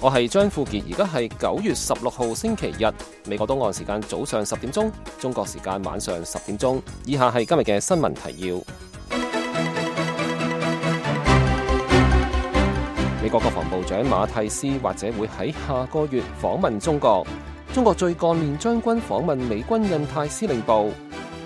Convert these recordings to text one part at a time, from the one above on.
我係張富傑，而家係9月16號星期日，美國東岸時間早上10點鐘，中國時間晚上10點鐘。以下係今日嘅新聞提要。美國國防部長馬蒂斯或者會喺下個月訪問中國。中國最幹練將軍訪問美軍印太司令部。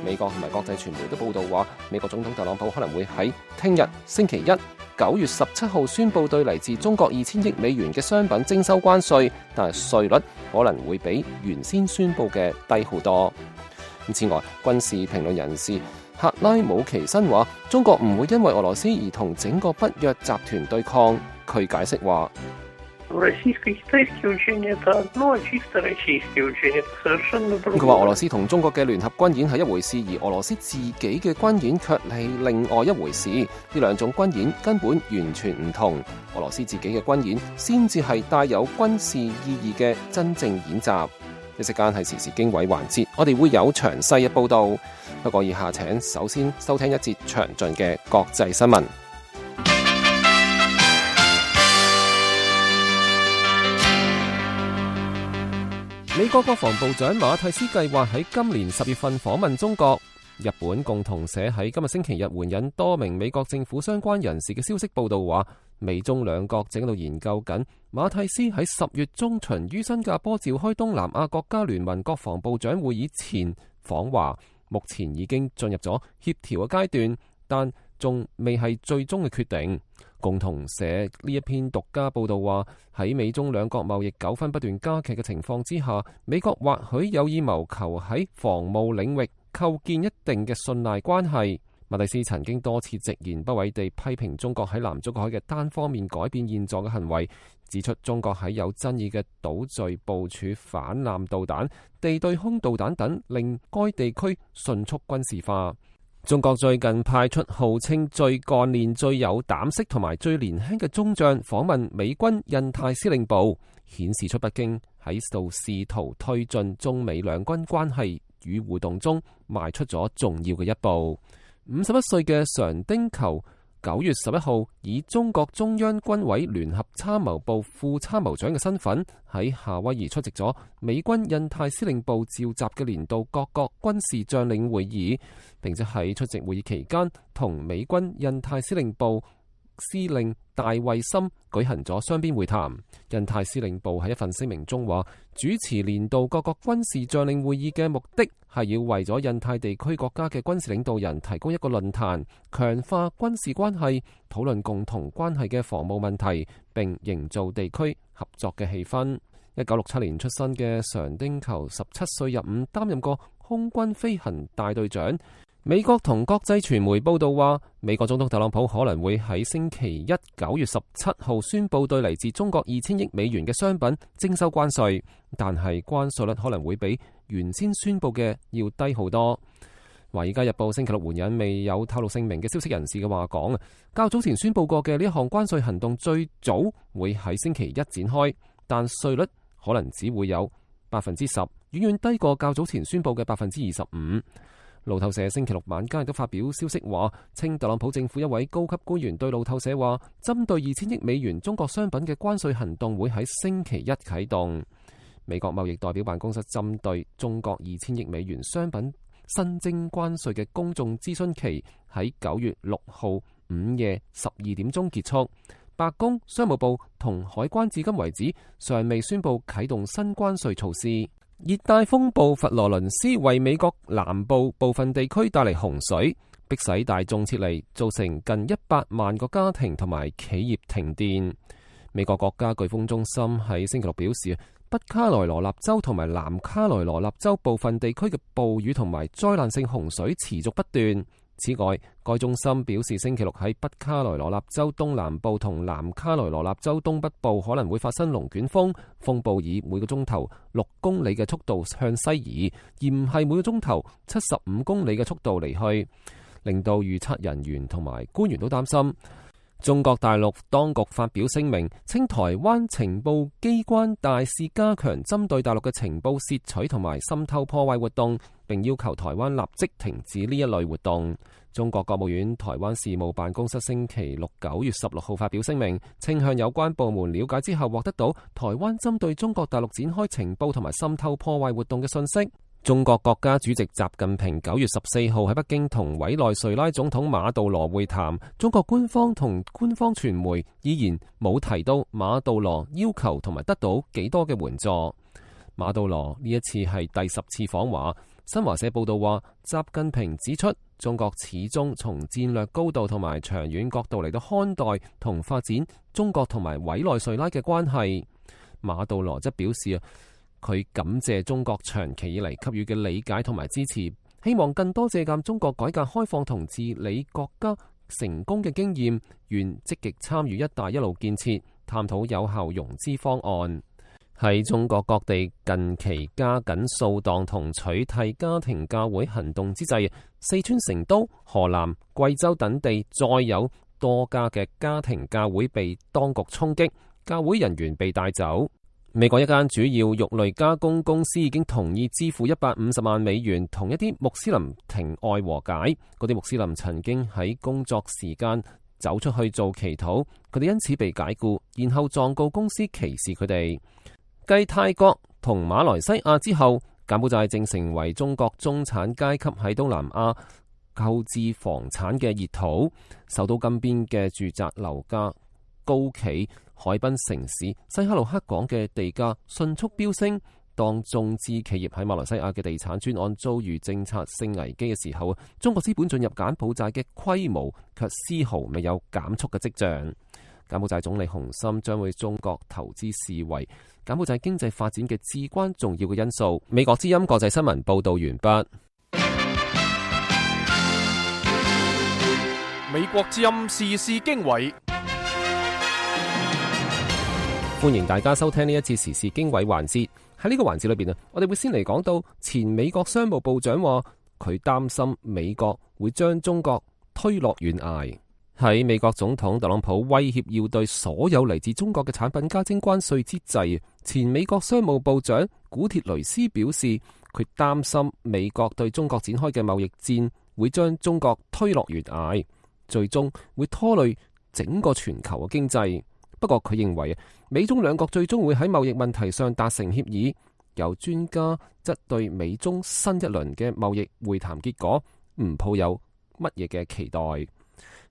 美國同埋國際傳媒都報道話，美國總統特朗普可能會喺聽日星期一9月17號宣布對嚟自中國2000億美元嘅商品徵收關稅，但係稅率可能會比原先宣布嘅低好多。此外，軍事評論人士克拉姆奇申話，中國唔會因為俄羅斯而同整個北約集團對抗。佢解釋話，佢話俄羅斯同中國嘅聯合軍演係一回事，而俄羅斯自己嘅軍演卻係另外一回事。呢兩種軍演根本完全唔同。俄羅斯自己嘅軍演先至係帶有軍事意義嘅真正演習。一時間係時事經緯環節，我哋會有詳細嘅報道。不過以下請首先收聽一節詳盡嘅國際新聞。美國國防部長馬蒂斯計劃喺今年10月份訪問中國。日本共同社喺今日星期日援引多名美國政府相關人士嘅消息報道話，美中兩國正喺度研究緊馬蒂斯喺10月中旬於新加坡召開東南亞國家聯盟國防部長會議前訪華，目前已經進入咗協調嘅階段，但仲未係最終嘅決定。共同社呢一篇獨家報道話，喺美中兩國貿易糾紛不斷加劇嘅情況之下，美國或許有意謀求喺防務領域構建一定嘅信賴關係。馬蒂斯曾經多次直言不諱地批評中國喺南中國海嘅單方面改變現狀嘅行為，指出中國喺有爭議嘅島嶼部署反艦導彈、地對空導彈等，令該地區迅速軍事化。中國最近派出號稱最幹練、最有膽識同埋最年輕嘅中將訪問美軍印太司令部，顯示出北京喺度試圖推進中美兩軍關係與互動中邁出咗重要嘅一步。51歲嘅常丁球9月11號以中國中央軍委聯合參謀部副參謀長嘅身份喺夏威夷出席咗美軍印太司令部召集嘅年度各國軍事將領會議，並且喺出席會議期間同美軍印太司令部司令戴衛森舉行咗雙邊會談。印太司令部喺一份聲明中話，主持年度各國軍事將領會議嘅目的係要為咗印太地區國家嘅軍事領導人提供一個論壇，強化軍事關係，討論共同關係嘅防務問題，並營造地區合作嘅氣氛。1967年出生嘅常丁球17歲入伍，擔任過空軍飛行大隊長。美國同國際傳媒報道話，美國總統特朗普可能會喺星期一9月17號宣布對嚟自中國2000億美元嘅商品徵收關稅，但係關稅率可能會比原先宣布嘅要低好多。華爾街日報星期六援引未有透露姓名嘅消息人士嘅話講，較早前宣布過嘅呢一項關稅行動最早會喺星期一展開，但稅率可能只會有 10%， 遠遠低過較早前宣布嘅 25%。路透社星期六晚間亦都發表消息話，稱特朗普政府一位高級官員對路透社話，針對2000億美元中國商品嘅關稅行動會喺星期一啟動。美國貿易代表辦公室針對中國2000億美元商品新徵關稅嘅公眾諮詢期喺9月6號午夜12點鐘結束。白宮、商務部同海關至今為止尚未宣布啟動新關稅措施。熱帶風暴佛羅倫斯為美國南部部分地區帶嚟洪水，迫使大眾撤離，造成近100萬個家庭同埋企業停電。美國國家颶風中心喺星期六表示，北卡羅來納州同埋南卡羅來納州部分地區嘅暴雨同埋災難性洪水持續不斷。此外，該中心表示，星期六喺北卡羅來納州東南部同南卡羅來納州東北部可能會發生龍捲風，風暴以每個鐘頭6公里嘅速度向西移，而唔係每個鐘頭75公里嘅速度離去，令到預測人員同埋官員都擔心。中國大陸當局發表聲明，稱台灣情報機關大肆加強針對大陸嘅情報竊取同埋滲透破壞活動，並要求台灣立即停止呢一類活動。中國國務院台灣事務辦公室星期六9月16號發表聲明，稱向有關部門了解之後，獲得到台灣針對中國大陸展開情報同埋滲透破壞活動嘅信息。中國國家主席習近平9月14號喺北京同委內瑞拉總統馬杜羅會談，中國官方同官方傳媒依然冇提到馬杜羅要求同埋得到幾多嘅援助。馬杜羅呢一次係第10次訪華。新華社報道話，習近平指出，中國始終從戰略高度同埋長遠角度嚟到看待同發展中國同埋委內瑞拉嘅關係。馬杜羅則表示佢感謝中國長期以嚟給予嘅理解同埋支持，希望更多借鑑中國改革開放同治理國家成功嘅經驗，願積極參與一帶一路建設，探討有效融資方案。喺中國各地近期加緊掃蕩同取締家庭教會行動之際，四川成都、河南、貴州等地再有多家嘅家庭教會被當局衝擊，教會人員被帶走。美國一間主要肉類加工公司已經同意支付150萬美元，同一啲穆斯林庭外和解。嗰啲穆斯林曾經喺工作時間走出去做祈禱，佢哋因此被解僱，然後狀告公司歧視佢哋。繼泰國同馬來西亞之後，柬埔寨正成為中國中產階級喺東南亞購置房產嘅熱土。首都金邊嘅住宅樓價高企，海濱城市西哈努克港嘅地價迅速飆升。當中資企業喺馬來西亞嘅地產專案遭遇政策性危機嘅時候，中國資本進入柬埔寨嘅規模卻絲毫未有減速嘅跡象。柬埔寨總理洪森將會中國投資視為柬埔寨經濟發展嘅至關重要嘅因素。美國之音國際新聞報道完畢。美國之音時事經緯，歡迎大家收聽呢一次時事經緯環節。喺呢個環節裏邊我哋會先嚟講到前美國商務部長話佢擔心美國會將中國推落懸崖。喺美國總統特朗普威脅要對所有嚟自中國嘅產品加徵關稅之際，前美國商務部長古鐵雷斯表示，佢擔心美國對中國展開嘅貿易戰會將中國推落懸崖，最終會拖累整個全球嘅經濟。不過佢認為美中兩國最終會喺貿易問題上達成協議。有專家則對美中新一輪嘅貿易會談結果唔抱有乜嘢嘅期待。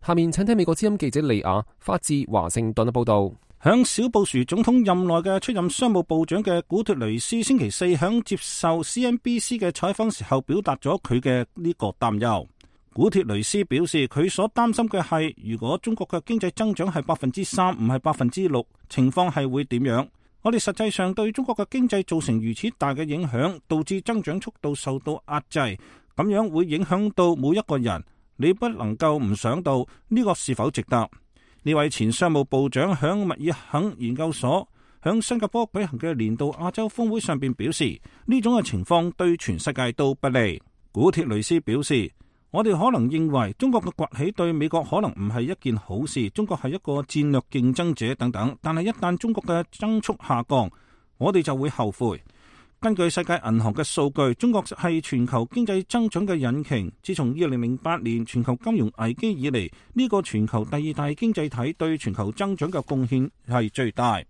下面請聽美國之音記者利亞發自華盛頓嘅報道。響小布殊總統任內嘅出任商務部長嘅古鐵雷斯星期四響接受 CNBC 嘅採訪時候，表達咗佢嘅呢個擔憂。古鐵雷斯表示，佢所擔心嘅係，如果中國嘅經濟增長係3%，唔係6%，情況係會點樣？我哋實際上對中國嘅經濟造成如此大嘅影響，導致增長速度受到壓制，咁樣會影響到每一個人。你不能夠唔想到呢個是否值得？呢位前商務部長響密爾肯研究所響新加坡舉行嘅年度亞洲峰會上邊表示，呢種嘅情況對全世界都不利。古鐵雷斯表示，我哋可能認為中國嘅崛起對美國可能唔係一件好事，中國係一個戰略競爭者等等，但係一旦中國嘅增速下降，我哋就會後悔。根據世界銀行嘅數據，中國係全球經濟增長嘅引擎。自從2008年全球金融危機以嚟，呢個全球第2大經濟體對全球增長嘅貢獻係最大。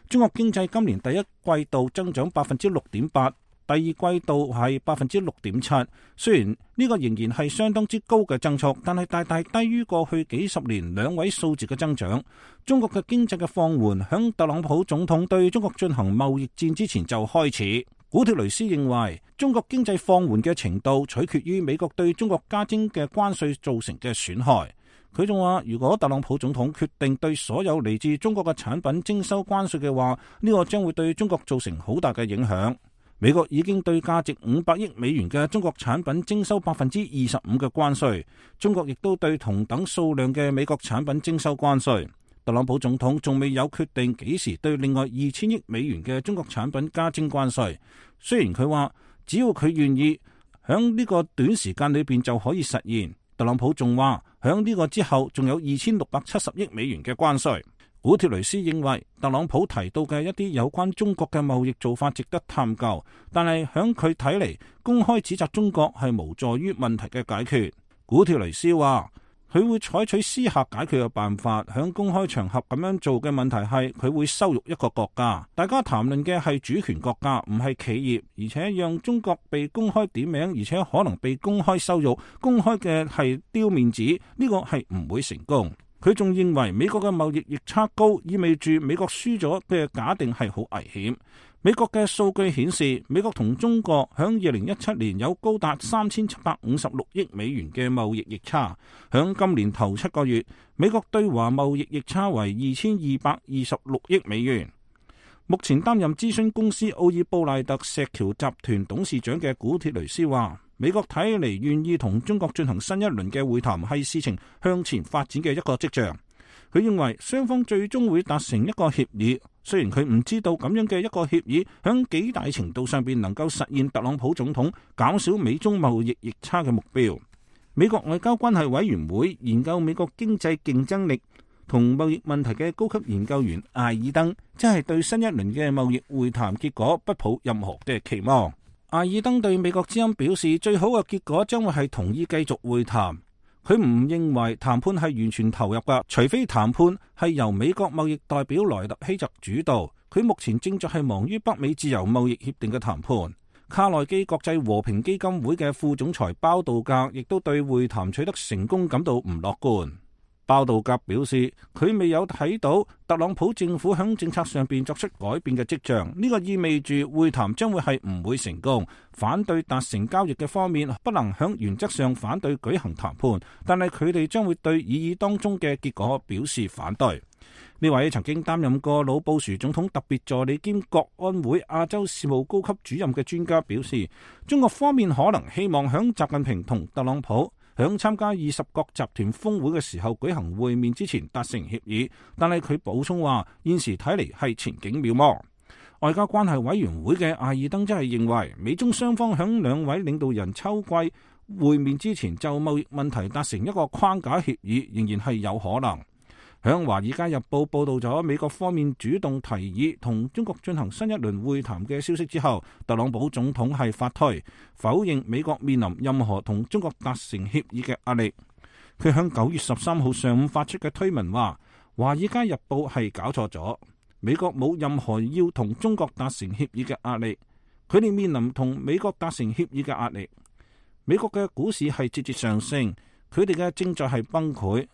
中國經濟今年第一季度增長6.8%，第二季度係6.7%。雖然呢個仍然係相當之高嘅增速，但係大大低於過去幾十年2位數字嘅增長。中國嘅經濟嘅放緩，響特朗普總統對中國進行貿易戰之前就開始。古鐵雷斯認為，中國經濟放緩嘅程度取決於美國對中國加徵嘅關稅造成嘅損害。佢仲話，如果特朗普總統決定對所有嚟自中國嘅產品徵收關稅嘅話，呢個將會對中國造成好大嘅影響。美國已經對價值500億美元嘅中國產品徵收25%嘅關稅，中國亦都對同等數量嘅美國產品徵收關稅。特朗普總統仲未有決定幾時對另外2000億美元嘅中國產品加徵關稅。雖然佢話只要佢願意，響呢個短時間裏邊就可以實現。特朗普仲話響呢個之後仲有2670億美元嘅關稅。古鐵雷斯認為特朗普提到嘅一啲有關中國嘅貿易做法值得探究，但係響佢睇嚟，公開指責中國係無助於問題嘅解決。古鐵雷斯話佢會採取私下解決嘅辦法，響公開場合咁樣做嘅問題係佢會羞辱一個國家。大家談論嘅係主權國家，唔係企業，而且讓中國被公開點名，而且可能被公開羞辱，公開嘅係丟面子，呢個係唔會成功。佢仲認為美國嘅貿易逆差高，意味住美國輸咗嘅假定係好危險。美國嘅數據顯示，美國同中國響2017年有高達3756億美元嘅貿易逆差。響今年頭7個月，美國對華貿易逆差為2226億美元。目前擔任諮詢公司奧爾布賴特石橋集團董事長嘅古鐵雷斯話，美國睇嚟願意同中國進行新一輪嘅會談，係事情向前發展嘅一個跡象。佢認為雙方最終會達成一個協議，雖然佢唔知道咁樣嘅一個協議響幾大程度上邊能夠實現特朗普總統減少美中貿易逆差嘅目標。美國外交關係委員會研究美國經濟競爭力同貿易問題嘅高級研究員艾爾登，即係對新一輪嘅貿易會談結果不抱任何嘅期望。艾爾登對美國之音表示，最好嘅結果將會係同意繼續會談。佢唔認為談判係完全投入㗎，除非談判係由美國貿易代表萊特希澤主導。佢目前正在係忙於北美自由貿易協定嘅談判。卡內基國際和平基金會嘅副總裁包道格亦都對會談取得成功感到唔樂觀。包道格表示，佢未有睇到特朗普政府響政策上邊作出改變嘅跡象，呢個意味住會談將會係唔會成功。反對達成交易嘅方面不能響原則上反對舉行談判，但係佢哋將會對議當中嘅結果表示反對。呢位曾經擔任過老布殊總統特別助理兼國安會亞洲事務高級主任嘅專家表示，中國方面可能希望響習近平同特朗普響參加20國集團峰會嘅時候舉行會面之前達成協議，但係佢補充話，現時睇嚟係前景渺茫。外交關係委員會嘅艾爾登則係認為，美中雙方響兩位領導人秋季會面之前就貿易問題達成一個框架協議，仍然係有可能。響《華爾街日報》報道咗美國方面主動提議同中國進行新一輪會談嘅消息之後，特朗普總統係發推否認美國面臨任何同中國達成協議嘅壓力。佢響9月13號上午發出嘅推文話，《華爾街日報》係搞錯咗，美國冇任何要同中國達成協議嘅壓力，佢哋面臨同美國達成協議嘅壓力。美國嘅股市係節節上升，佢哋嘅正在係崩潰。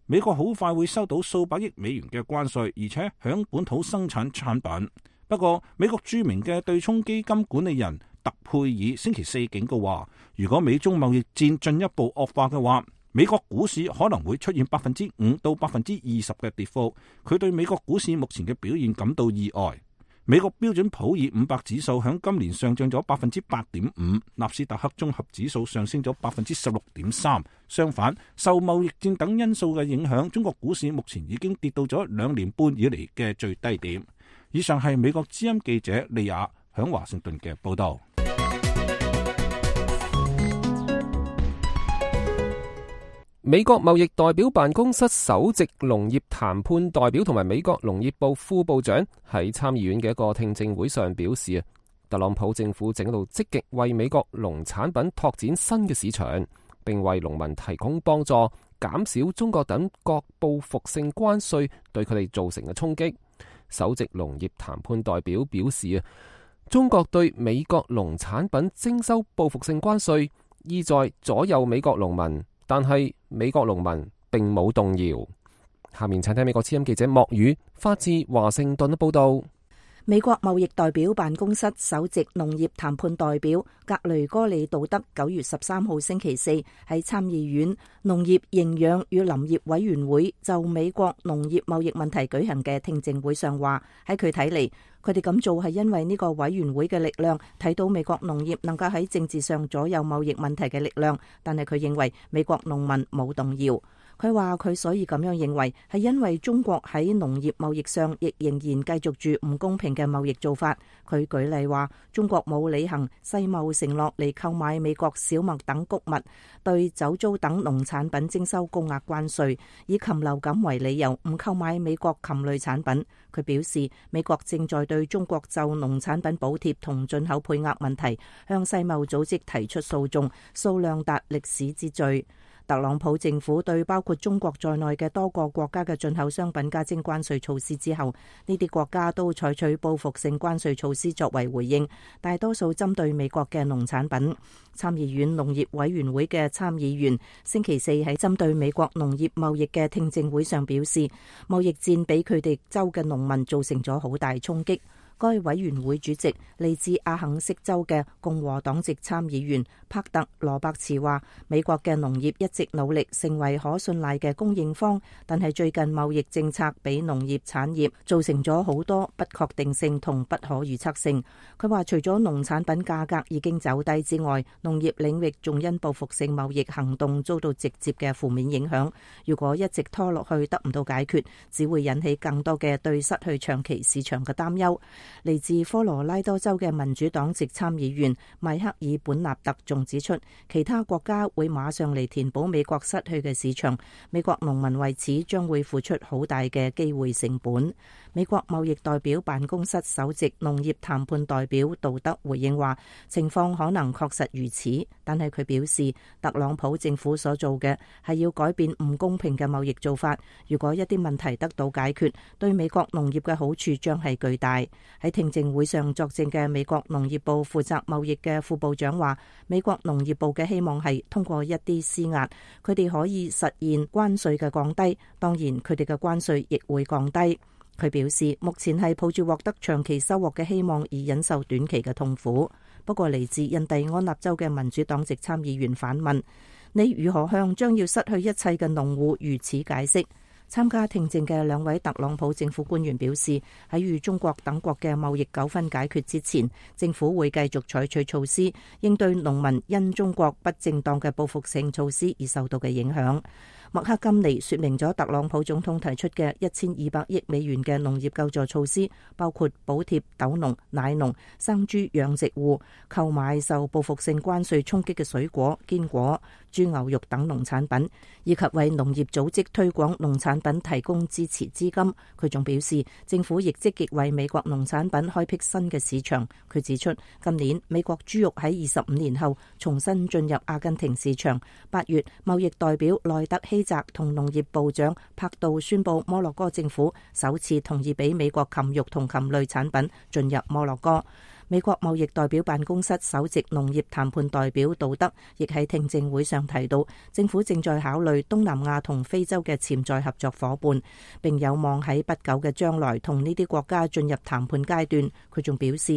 美國好快會收到數百億美元嘅關稅，而且響本土生產產品。不過，美國著名嘅對沖基金管理人特佩爾星期四警告話，如果美中貿易戰進一步惡化嘅話，美國股市可能會出現5%到20%嘅跌幅。佢對美國股市目前嘅表現感到意外。美國標準普爾500指數響今年上漲咗8.5%，納斯達克綜合指數上升咗16.3%。相反，受貿易戰等因素嘅影響，中國股市目前已經跌到咗2年半以嚟嘅最低點。以上係美國之音記者利亞響華盛頓嘅報道。美國貿易代表辦公室首席農業談判代表同埋美國農業部副部長喺參議院嘅一個聽證會上表示，特朗普政府正喺度積極為美國農產品拓展新嘅市場，並為農民提供幫助，減少中國等各報復性關稅對佢哋造成嘅衝擊。首席農業談判代表表示，中國對美國農產品徵收報復性關稅，意在左右美國農民。但係美國農民並冇動搖。下面請聽美國之音記者莫宇發自華盛頓嘅報道。美國貿易代表辦公室首席農業談判代表格雷戈里杜德9月13號星期四喺參議院農業營養與林業委員會就美國農業貿易問題舉行嘅聽證會上話，喺佢睇嚟，佢哋咁做係因為呢個委員會嘅力量睇到美國農業能夠喺政治上左右貿易問題嘅力量，但係佢認為美國農民冇動搖。佢話佢所以咁樣認為係因為中國喺農業貿易上亦仍然繼續住唔公平嘅貿易做法。佢舉例話，中國冇履行世貿承諾嚟購買美國小麥等穀物，對酒糟等農產品徵收高額關稅，以禽流感為理由唔購買美國禽類產品。佢表示，美國正在對中國就農產品補貼同進口配額問題向世貿組織提出訴訟，數量達歷史之最。特朗普政府對包括中國在內嘅多個國家嘅進口商品加徵關稅措施之後，呢啲國家都採取報復性關稅措施作為回應，大多數針對美國嘅農產品。參議院農業委員會嘅參議員星期四喺針對美國農業貿易嘅聽證會上表示，貿易戰俾佢哋州嘅農民造成咗好大衝擊。該委員會主席嚟自阿肯色州嘅共和黨籍參議員帕特羅伯茨話，美國嘅農業一直努力成為可信賴嘅供應方，但係最近貿易政策俾農業產業造成咗好多不確定性同不可預測性。佢話除咗農產品價格已經走低之外，農業領域仲因報復性貿易行動遭到直接嘅負面影響。如果一直拖落去得唔到解決，只會引起更多嘅對失去長期市場嘅擔憂。嚟自科羅拉多州嘅民主黨籍參議員邁克爾本納特仲指出，其他國家會馬上嚟填補美國失去嘅市場，美國農民為此將會付出好大嘅機會成本。美國貿易代表辦公室首席農業談判代表杜德回應話，情況可能確實如此，但係佢表示，特朗普政府所做嘅係要改變唔公平嘅貿易做法。如果一啲問題得到解決，對美國農業嘅好處將係巨大。喺聽證會上作證嘅美國農業部負責貿易嘅副部長話，美國農業部嘅希望係通過一啲施壓，佢哋可以實現關稅嘅降低，當然佢哋嘅關稅亦會降低。佢表示，目前係抱住獲得長期收穫嘅希望而忍受短期嘅痛苦。不過嚟自印第安納州嘅民主黨籍參議員反問，你如何向將要失去一切嘅農戶如此解釋？參加聽證嘅兩位特朗普政府官員表示，喺與中國等國嘅貿易糾紛解決之前，政府會繼續採取措施，應對農民因中國不正當嘅報復性措施而受到嘅影響。麥克金尼說明咗特朗普總統提出嘅1200億美元嘅農業救助措施，包括補貼豆農、奶農、生豬養殖戶購買受報復性關稅衝擊嘅水果、堅果、豬牛肉等農產品，以及為農業組織推廣農產品提供支持資金。佢仲表示，政府亦積極為美國農產品開闢新嘅市場。佢指出，今年美國豬肉喺25年後重新進入阿根廷市場。8月，貿易代表內特希澤同農業部長柏杜宣布，摩洛哥政府首次同意俾美國禽肉同禽類產品進入摩洛哥。美國貿易代表辦公室首席農業談判代表杜德亦喺聽證會上提到，政府正在考慮東南亞同非洲嘅潛在合作夥伴，並有望喺不久嘅將來同呢啲國家進入談判階段。佢仲表示，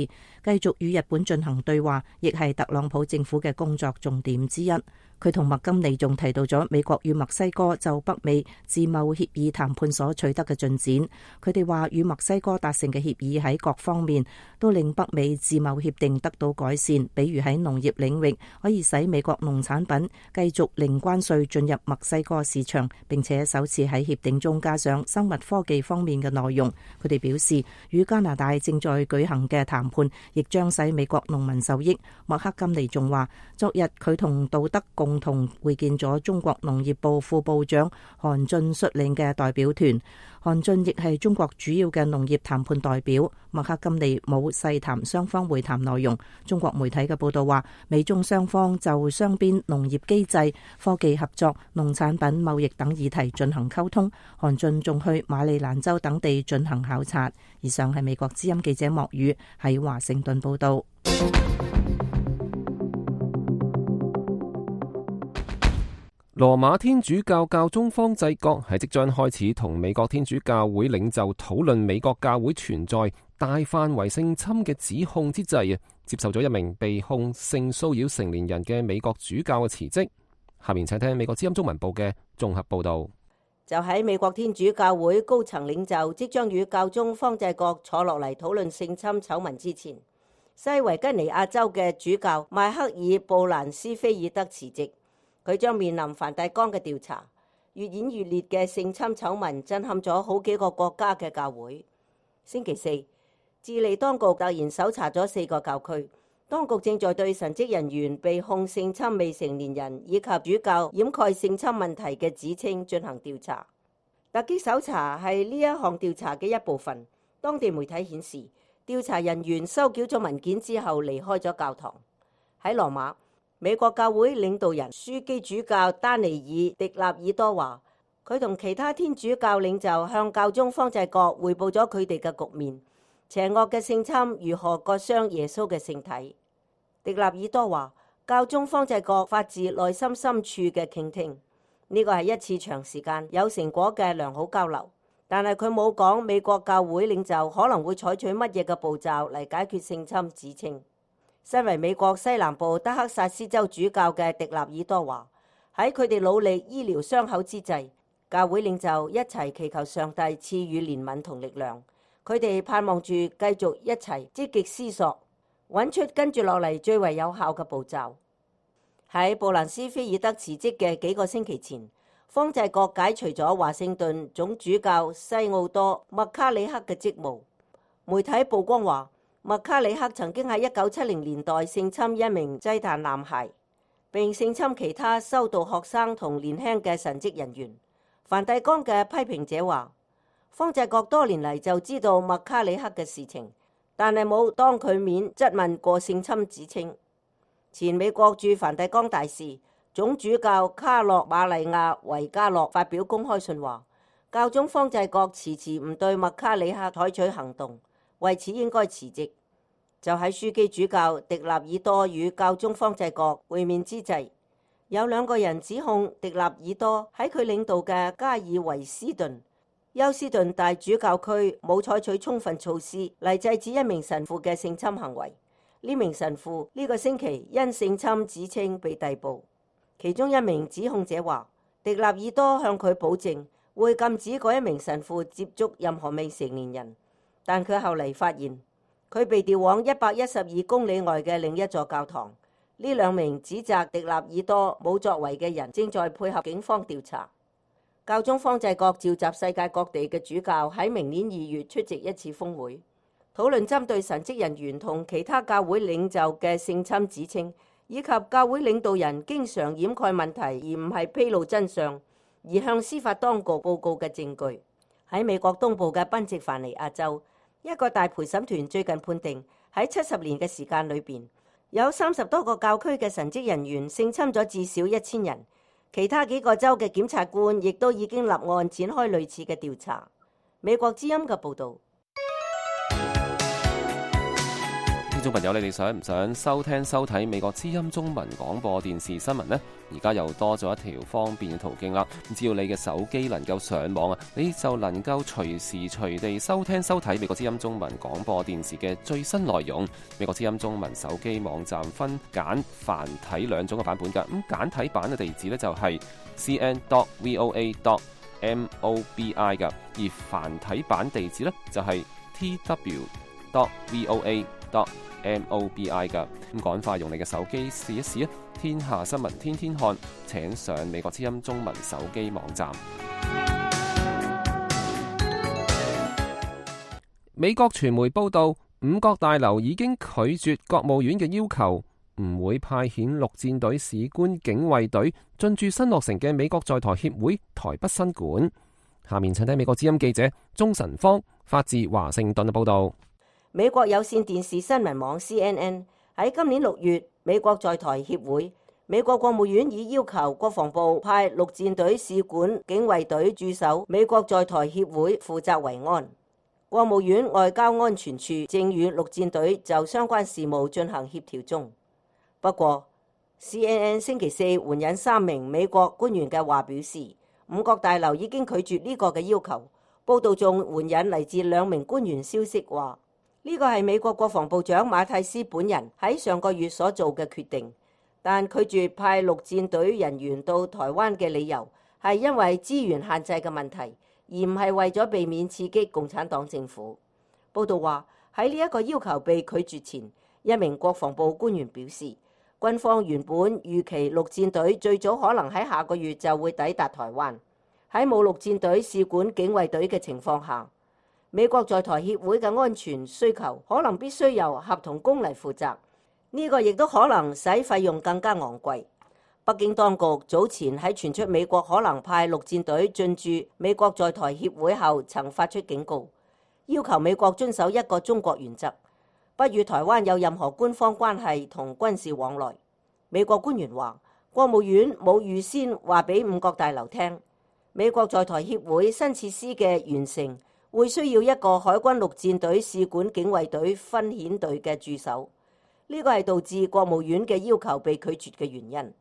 繼續與日本進行對話，亦係特朗普政府嘅工作重點之一。佢同麥金尼仲提到咗美國與墨西哥就北美自貿協議談判所取得嘅進展。佢哋話，與墨西哥達成嘅協議喺各方面都令北美自貿協定得到改善，比如喺農業領域可以使美國農產品繼續零關稅進入墨西哥市場，並且首次喺協定中加上生物科技方面嘅內容。佢哋表示，與加拿大正在舉行嘅談判亦將使美國農民受益。麥克金尼仲話，昨日佢同杜德共同會見咗中國農業部副部長韓俊率領嘅代表團。韓俊亦係中國主要嘅農業談判代表。麥克金尼冇細談雙方會談內容。中國媒體嘅報道話，美中雙方就雙邊農業機制、科技合作、農產品貿易等議題進行溝通。韓俊仲去馬里蘭州等地進行考察。以上係美國之音記者莫宇喺華盛頓報道。羅馬天主教教宗方濟各喺即將開始同美國天主教會領袖討論美國教會存在大範圍性侵嘅指控之際，接受咗一名被控性騷擾成年人嘅美國主教嘅辭職。下面請聽美國之音中文部嘅綜合報道。就喺美國天主教會高層領袖即將與教宗方濟各坐落嚟討論性侵醜聞之前，西維吉尼亞州嘅主教邁克爾布蘭斯菲爾德辭職。佢將面臨梵蒂岡嘅調查。越演越烈嘅性侵醜聞震撼咗好幾個國家嘅教會。星期四，智利當局突然搜查咗4個教區，當局正在對神職人員被控性侵未成年人以及主教掩蓋性侵問題嘅指稱進行調查。突擊搜查係呢一項調查嘅一部分。當地媒體顯示，調查人員收繳咗文件之後離開咗教堂。喺羅馬，美國教會領導人樞機主教丹尼爾·迪納爾多話，佢同其他天主教領袖向教宗方濟各彙報咗佢哋嘅局面，邪惡嘅性侵如何割傷耶穌嘅聖體。迪納爾多話，教宗方濟各發自內心深處嘅傾聽，呢個係一次長時間有成果嘅良好交流，但係佢冇講美國教會領袖可能會採取乜嘢嘅步驟嚟解決性侵指稱。身為美國西南部德克薩斯州主教嘅迪納爾多話，喺佢哋努力醫療傷口之際，教會領袖一齊祈求上帝賜予憐憫同力量。佢哋盼望住繼續一齊積極思索，揾出跟住落嚟最為有效嘅步驟。喺布蘭斯菲爾德辭職嘅幾個星期前，方濟各解除咗華盛頓總主教西奧多麥卡里克嘅職務。媒體曝光話，麥卡里克曾經喺1970年代性侵一名祭壇男孩，並性侵其他修道學生同年輕嘅神職人員。梵蒂岡嘅批評者話，方濟各多年嚟就知道麥卡里克嘅事情，但係冇當佢面質問過性侵指稱。前美國駐梵蒂岡大使總主教卡洛馬利亞維加洛發表公開信話，教宗方濟各遲遲唔對麥卡里克採取行動，為此應該辭職。就喺樞機主教迪納爾多與教宗方濟各會面之際，有2個人指控迪納爾多喺佢領導嘅加爾維斯頓休斯頓大主教區冇採取充分措施嚟制止一名神父嘅性侵行為。呢名神父呢個星期因性侵指稱被逮捕。其中一名指控者話，迪納爾多向佢保證會禁止嗰一名神父接觸任何未成年人，但佢後嚟發現佢被調往112公里外嘅另一座教堂。呢2名指責迪納爾多冇作為嘅人正在配合警方調查。教宗方濟各召集世界各地嘅主教喺明年2月出席一次峰會，討論針對神職人員同其他教會領袖嘅性侵指稱，以及教會領導人經常掩蓋問題而唔係披露真相，而向司法當局報告嘅證據。喺美國東部嘅賓夕凡尼亞州，一個大陪審團最近判定喺70年嘅時間裏邊，有30多個教區嘅神職人員性侵咗至少1000人。其他幾個州嘅檢察官亦都已經立案展開類似嘅調查。美國之音嘅報導。聽眾朋友，你哋想唔想收聽收睇美國之音中文廣播電視新聞呢？而家又多咗一條方便嘅途徑啦。只要你嘅手機能夠上網啊，你就能夠隨時隨地收聽收睇美國之音中文廣播電視嘅最新內容。美國之音中文手機網站分簡繁體2種嘅版本㗎。咁簡體版嘅地址呢，就係 cn.voa.mobi 㗎，而繁體版地址呢，就係 tw.voa.mobi 噶。咁趕快用你嘅手機試一試啊！天下新聞天天看，請上美國之音中文手機網站。美國傳媒報道，五角大樓已經拒絕國務院嘅要求，唔會派遣陸戰隊士官警衛隊進駐新落成嘅美國在台協會台北新館。下面請睇美國之音記者鍾晨芳發自華盛頓嘅報道。美國有線電視新聞網 CNN 喺今年6月，美國在台協會，美國國務院已要求國防部派陸戰隊士官警衛隊駐守美國在台協會，負責維安。國務院外交安全處正與陸戰隊就相關事務進行協調中。不過 CNN 星期四援引3名美國官員嘅話表示，五角大樓已經拒絕呢個嘅要求。報道仲援引嚟自2名官員消息話，呢個係美國國防部長馬蒂斯本人喺上個月所做嘅決定，但拒絕派陸戰隊人員到台灣嘅理由係因為資源限制嘅問題，而唔係為咗避免刺激共產黨政府。報道話，喺呢一個要求被拒絕前，一名國防部官員表示，軍方原本預期陸戰隊最早可能喺下個月就會抵達台灣。喺冇陸戰隊、使館、警衛隊嘅情況下，美國在台協會嘅安全需求可能必須由合同工嚟負責，呢個亦都可能使費用更加昂貴。北京當局早前喺傳出美國可能派陸戰隊進駐美國在台協會後，曾發出警告，要求美國遵守一個中國原則，不與台灣有任何官方關係同軍事往來。美國官員話，國務院冇預先話俾五角大樓聽，美國在台協會新設施嘅完成會需要一個海軍陸戰隊、使館、警衛隊分遣隊嘅駐守，呢個係導致國務院嘅要求被拒絕嘅原因。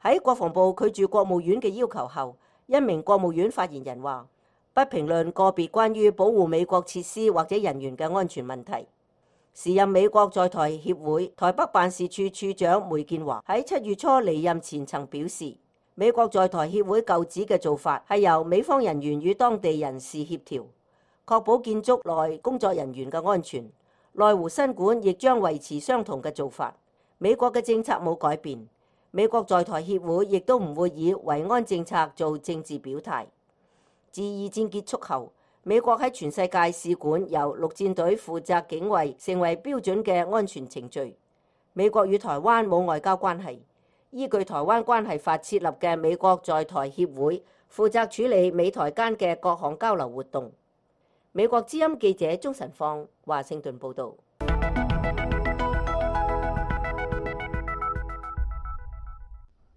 喺國防部拒絕國務院嘅要求後，一名國務院發言人話，不評論個別關於保護美國設施或者人員嘅安全問題。時任美國在台協會台北辦事處處長梅建華喺7月初離任前曾表示，美國在台協會舊址嘅做法係由美方人員與當地人士協調，確保建築內工作人員嘅安全。內湖新館亦將維持相同嘅做法。美國嘅政策冇改變。美國在台協會亦都唔會以維安政策做政治表態。自二戰結束後，美國喺全世界使館由陸戰隊負責警衛，成為標準嘅安全程序。美國與台灣冇外交關係，依據《台灣關係法》設立嘅美國在台協會，負責處理美台間嘅各項交流活動。美國之音記者鍾晨放華盛頓報導。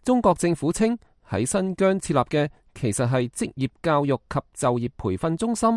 中國政府稱喺新疆設立嘅其實係職業教育及就業培訓中心，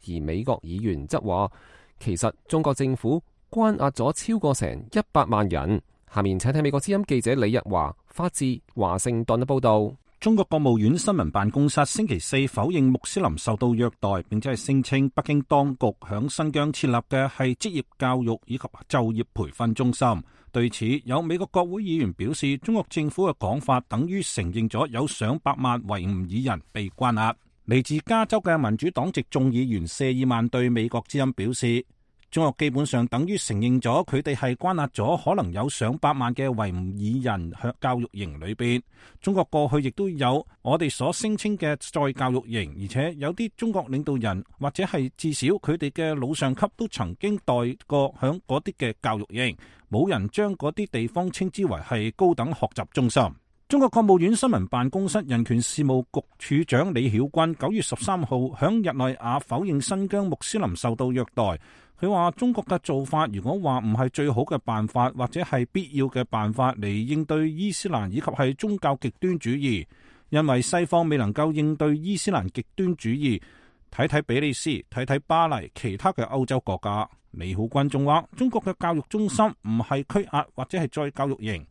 而美國議員則話其實中國政府關押咗超過成100萬人。下面請聽美國之音記者李日華發自華盛頓嘅報導。中國國務院新聞辦公室星期四否認穆斯林受到虐待，並且係聲稱北京當局響新疆設立嘅係職業教育以及就業培訓中心。對此，有美國國會議員表示，中國政府嘅講法等於承認咗有上百萬維吾爾人被關押。嚟自加州嘅民主黨籍眾議員謝爾曼對美國之音表示，中國基本上等於承認咗佢哋係關押咗可能有上百萬嘅維吾爾人喺教育營裏邊。中國過去亦都有我哋所聲稱嘅再教育營，而且有啲中國領導人或者係至少佢哋嘅老上級都曾經待過響嗰啲嘅教育營，冇人將嗰啲地方稱之為係高等學習中心。中國國務院新聞辦公室人權事務局處長李曉君9月13號響日內瓦否認新疆穆斯林受到虐待。佢話中國嘅做法如果話唔係最好嘅辦法，或者係必要嘅辦法嚟應對伊斯蘭以及係宗教極端主義，因為西方未能夠應對伊斯蘭極端主義。睇睇比利時，睇睇巴黎，其他嘅歐洲國家。李曉君仲話中國嘅教育中心唔係拘押或者係再教育營。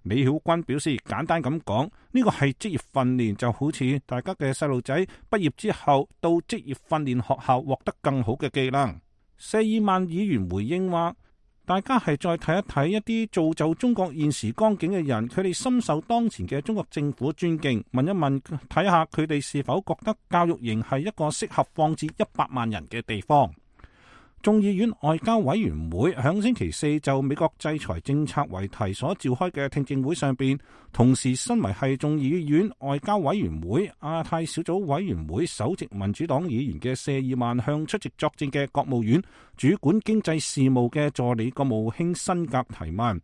李曉君表示，簡單咁講，呢個係職業訓練，就好似大家嘅細路仔畢業之後到職業訓練學校獲得更好嘅技能。謝爾曼議員回應話，大家係再睇一睇一啲造就中國現時光景嘅人，佢哋深受當前嘅中國政府尊敬，問一問睇下佢哋是否覺得教育營係一個適合放置100萬人嘅地方。眾議院外交委員會響星期四就美國制裁政策為題所召開嘅聽證會上邊，同時身為係眾議院外交委員會亞太小組委員會首席民主黨議員嘅謝爾曼向出席作證嘅國務院主管經濟事務嘅助理國務卿辛格提問，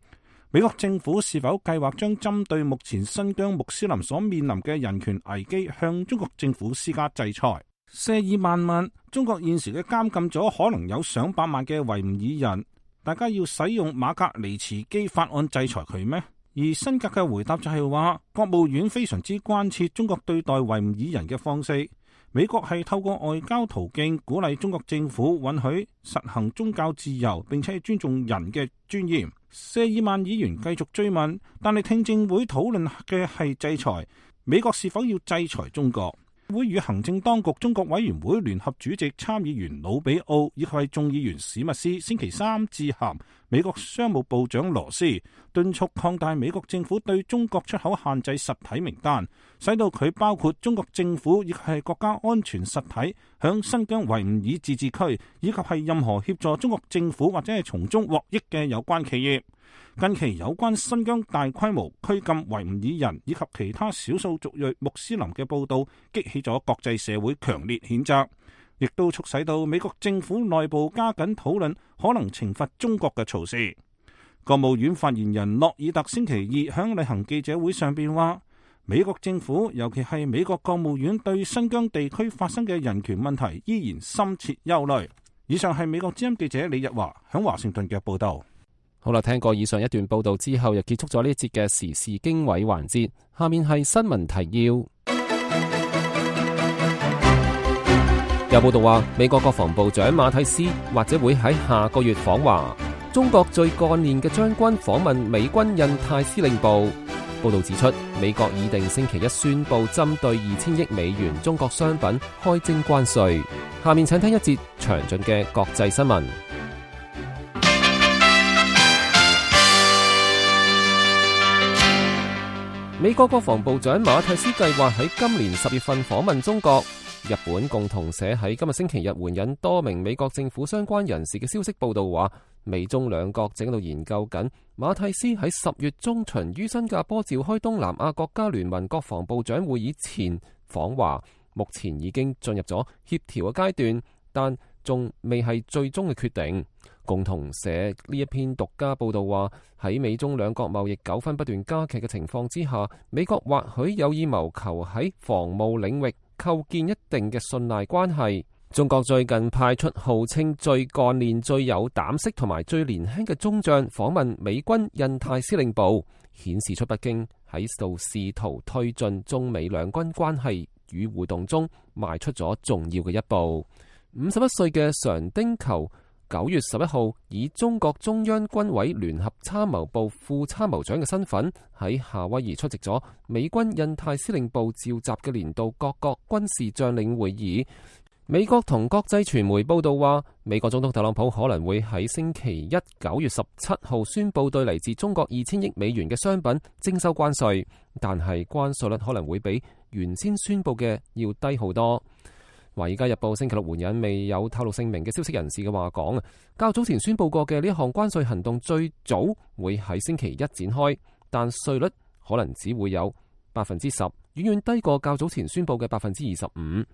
美國政府是否計劃將針對目前新疆穆斯林所面臨嘅人權危機向中國政府施加制裁。謝爾曼問，中國現時嘅監禁咗可能有上百萬嘅維吾爾人，大家要使用馬格尼茨基法案制裁佢咩？而辛格嘅回答就係話，國務院非常之關切中國對待維吾爾人嘅方式，美國係透過外交途徑鼓勵中國政府允許實行宗教自由，並且尊重人嘅尊嚴。謝爾曼議員繼續追問，但係聽證會討論嘅係制裁，美國是否要制裁中國？會與行政當局中國委員會聯合主席參議員魯比奧以及係眾議員史密斯星期三致函美國商務部長羅斯，敦促擴大美國政府對中國出口限制實體名單，使到佢包括中國政府亦係國家安全實體響新疆維吾爾自治區，以及係任何協助中國政府或者係從中獲益嘅有關企業。近期有關新疆大規模拘禁維吾爾人以及其他少數族裔穆斯林嘅報道，激起咗國際社會強烈譴責，亦都促使到美國政府內部加緊討論可能懲罰中國嘅措施。國務院發言人諾爾特星期二響例行記者會上邊話，美國政府尤其係美國國務院對新疆地區發生嘅人權問題依然深切憂慮。以上係美國之音記者李日華響華盛頓嘅報道。好啦，聽過以上一段報道之後，又結束咗呢一節嘅時事經緯環節。下面係新聞提要。有報道話，美國國防部長馬蒂斯或者會喺下個月訪華。中國最幹練嘅將軍訪問美軍印太司令部。報道指出，美國已定星期一宣布針對2000億美元中國商品開徵關稅。下面請聽一節詳盡嘅國際新聞。美國國防部長馬蒂斯計劃喺今年10月份訪問中國。日本共同社喺今日星期日援引多名美國政府相關人士嘅消息報道話，美中兩國正喺度研究緊馬蒂斯喺10月中旬於新加坡召開東南亞國家聯盟國防部長會議前訪華，目前已經進入咗協調嘅階段，但仲未係最終嘅決定。共同社呢一篇獨家報道話，喺美中兩國貿易糾紛不斷加劇嘅情況之下，美國或許有意謀求喺防務領域構建一定嘅信賴關係。中國最近派出號稱最幹練、最有膽識同埋最年輕嘅中將訪問美軍印太司令部，顯示出北京喺度試圖推進中美兩軍關係與互動中邁出咗重要嘅一步。51歲嘅常丁球9月11號以中國中央軍委聯合參謀部副參謀長嘅身份喺夏威夷出席咗美軍印太司令部召集嘅年度各國軍事將領會議。美國同國際傳媒報道話，美國總統特朗普可能會喺星期一9月17號宣布對嚟自中國2000億美元嘅商品徵收關稅，但係關稅率可能會比原先宣布嘅要低好多。《華爾街日報》星期六援引未有透露姓名嘅消息人士嘅話講，較早前宣布過嘅呢一項關稅行動最早會喺星期一展開，但稅率可能只會有 10%， 遠遠低過較早前宣布嘅 25%。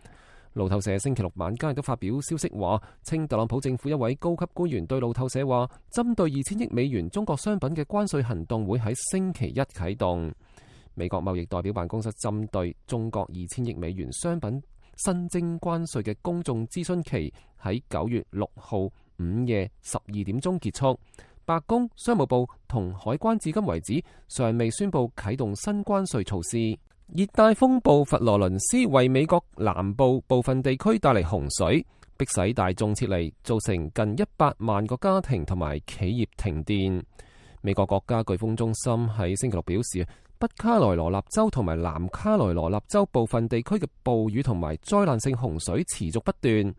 路透社星期六晚間亦都發表消息話，稱特朗普政府一位高級官員對路透社話，針對2000億美元中國商品嘅關稅行動會喺星期一啟動。美國貿易代表辦公室針對中國2000億美元商品新徵關稅嘅公眾諮詢期喺9月6號午夜12點鐘結束。白宮、商務部同海關至今為止尚未宣布啟動新關稅措施。熱帶風暴佛羅倫斯為美國南部部分地區帶嚟洪水，迫使大眾撤離，造成近100萬個家庭同埋企業停電。美國國家颶風中心喺星期六表示，北卡羅來納州同埋南卡羅來納州部分地區嘅暴雨同埋災難性洪水持續不斷。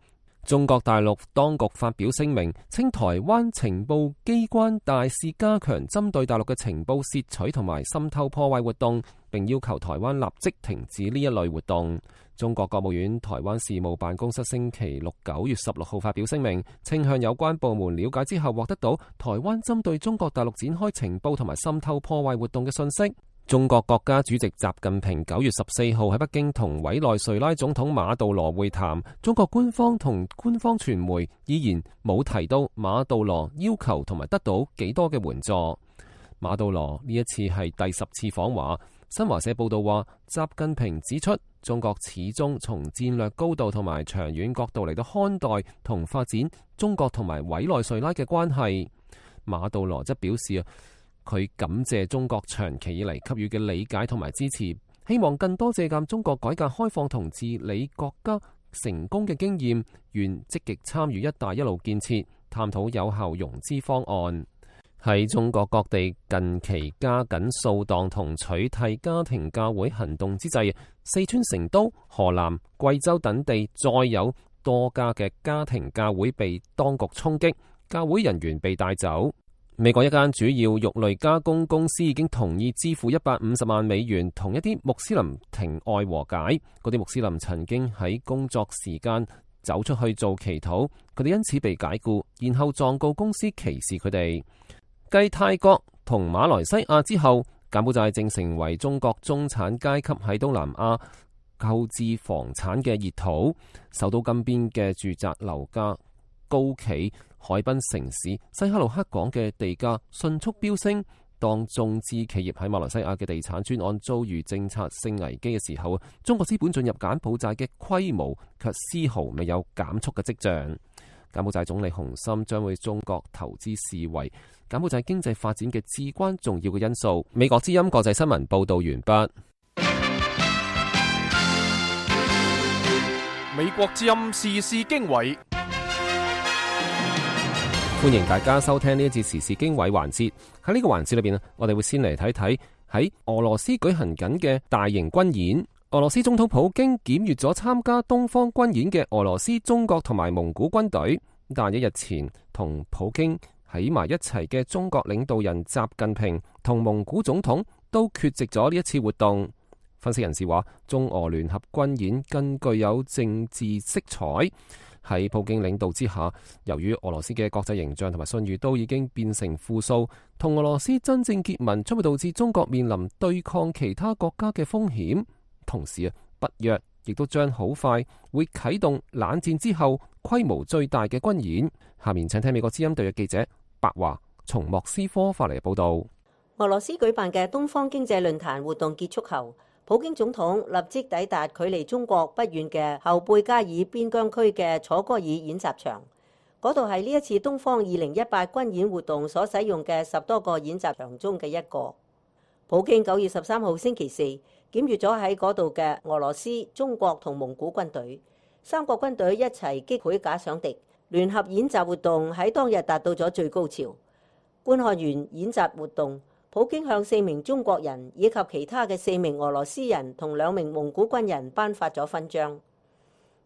中國大陸當局發表聲明，稱台灣情報機關大肆加強針對大陸嘅情報竊取同埋滲透破壞活動，並要求台灣立即停止呢一類活動。中國國務院台灣事務辦公室星期六9月16號發表聲明，稱向有關部門了解之後，獲得到台灣針對中國大陸展開情報同埋滲透破壞活動嘅信息。中國國家主席習近平9月14號喺北京同委內瑞拉總統馬杜羅會談，中國官方同官方傳媒依然冇提到馬杜羅要求同埋得到幾多嘅援助。馬杜羅呢一次係第10次訪華。新華社報道話，習近平指出，中國始終從戰略高度同埋長遠角度嚟到看待同發展中國同埋委內瑞拉嘅關係。馬杜羅則表示，佢感謝中國長期以嚟給予嘅理解同埋支持，希望更多借鑒中國改革開放同治理國家成功嘅經驗，願積極參與一帶一路建設，探討有效融資方案。喺中國各地近期加緊掃蕩同取締家庭教會行動之際，四川成都、河南、貴州等地再有多家嘅家庭教會被當局衝擊，教會人員被帶走。美國一間主要肉類加工公司已經同意支付150萬美元，同一啲穆斯林庭外和解。嗰啲穆斯林曾經喺工作時間走出去做祈禱，佢哋因此被解雇，然後狀告公司歧視佢哋。繼泰國同馬來西亞之後，柬埔寨正成為中國中產階級喺東南亞購置房產嘅熱土。首都金邊嘅住宅樓價高企，海濱城市西哈努克港嘅地價迅速飆升。當中資企業喺馬來西亞嘅地產專案遭遇政策性危機嘅時候，中國資本進入柬埔寨嘅規模卻絲毫未有減速嘅跡象。柬埔寨總理洪森將會中國投資視為柬埔寨經濟發展嘅至關重要嘅因素。美國之音國際新聞報道完畢。美國之音時事經緯。歡迎大家收聽呢一節時事經緯環節。喺呢個環節裏邊，我哋會先嚟睇睇喺俄羅斯舉行緊嘅大型軍演。俄羅斯總統普京檢閱咗參加東方軍演嘅俄羅斯、中國同埋蒙古軍隊，但一日前同普京喺埋一齊嘅中國領導人習近平同蒙古總統都缺席咗呢一次活動。分析人士話，中俄聯合軍演更具有政治色彩。喺普京領導之下，由於俄羅斯嘅國際形象同埋信譽都已經變成負數，同俄羅斯真正結盟將會導致中國面臨對抗其他國家嘅風險。同時北約亦都將好快會啟動冷戰之後規模最大嘅軍演。下面請聽美國之音特約記者白華從莫斯科發嚟嘅報道。俄羅斯舉辦嘅東方經濟論壇活動結束後，普京總統立即抵達距離中國不遠嘅後貝加爾邊疆區嘅楚戈爾演習場，嗰度係呢一次東方2018軍演活動所使用嘅10多個演習場中嘅一個。普京9月13號星期四檢閱咗喺嗰度嘅俄羅斯、中國同蒙古軍隊，三國軍隊一齊擊潰假想敵，聯合演習活動喺當日達到咗最高潮。觀看完演習活動，普京向4名中國人以及其他嘅4名俄羅斯人同2名蒙古軍人頒發咗勳章。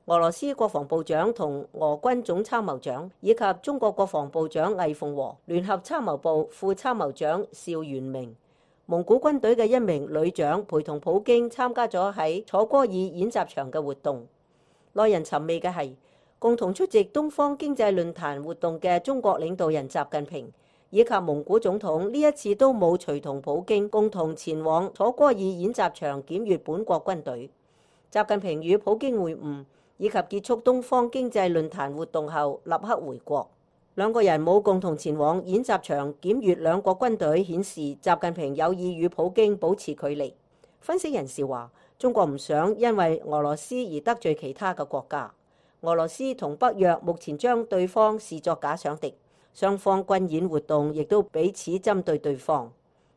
俄羅斯國防部長同俄軍總參謀長以及中國國防部長魏鳳和、聯合參謀部副參謀長邵元明、蒙古軍隊嘅1名旅長陪同普京參加咗喺楚戈爾演習場嘅活動。耐人尋味嘅係，共同出席東方經濟論壇活動嘅中國領導人習近平以及蒙古總統呢一次都冇隨同普京共同前往楚戈爾演習場檢閱本國軍隊。習近平與普京會晤以及結束東方經濟論壇活動後立刻回國。兩個人冇共同前往演習場檢閱兩國軍隊，顯示習近平有意與普京保持距離。分析人士話，中國唔想因為俄羅斯而得罪其他嘅國家。俄羅斯同北約目前將對方視作假想敵。雙方軍演活動亦都彼此針對對方。